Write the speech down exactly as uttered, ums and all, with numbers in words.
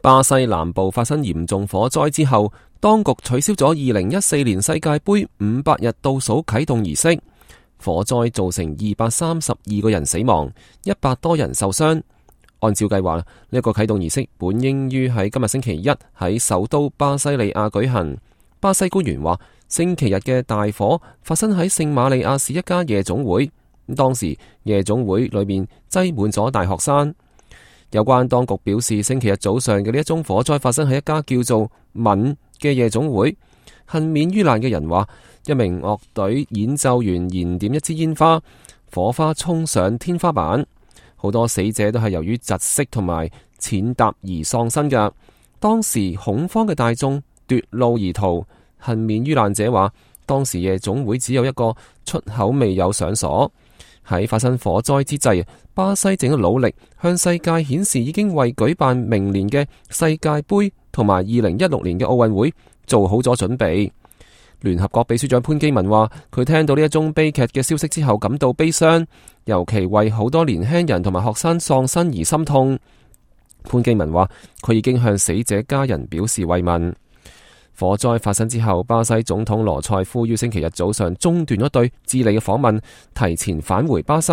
巴西南部發生嚴重火災之後，當局取消咗二零一四年世界盃五百日倒數啟動儀式。火災造成二百三十二個人死亡，一百多人受傷。按照計劃，呢一個啟動儀式本應於喺今日星期一喺首都巴西利亞舉行。巴西官員話，星期日嘅大火發生喺聖瑪利亞市一家夜總會，當時夜總會裏面擠滿咗大學生。有關當局表示，星期日早上嘅呢一宗火災發生喺一家叫做敏嘅夜總會。幸免於難嘅人話，一名樂隊演奏員燃點一支煙花，火花衝上天花板。好多死者都係由於窒息同埋踐踏而喪生㗎。當時恐慌嘅大眾奪路而逃。幸免於難者話，當時夜總會只有一個出口未有上鎖。喺發生火災之際，巴西正喺努力向世界顯示已經為舉辦明年嘅世界盃同埋二零一六年嘅奧運會做好咗準備。聯合國秘書長潘基文話，佢聽到呢一宗悲劇嘅消息之後感到悲傷，尤其為好多年輕人同埋學生喪生而心痛。潘基文話，佢已經向死者家人表示慰問。火災發生之後，巴西總統羅塞夫於星期日早上中斷咗對智利嘅訪問，提前返回巴西。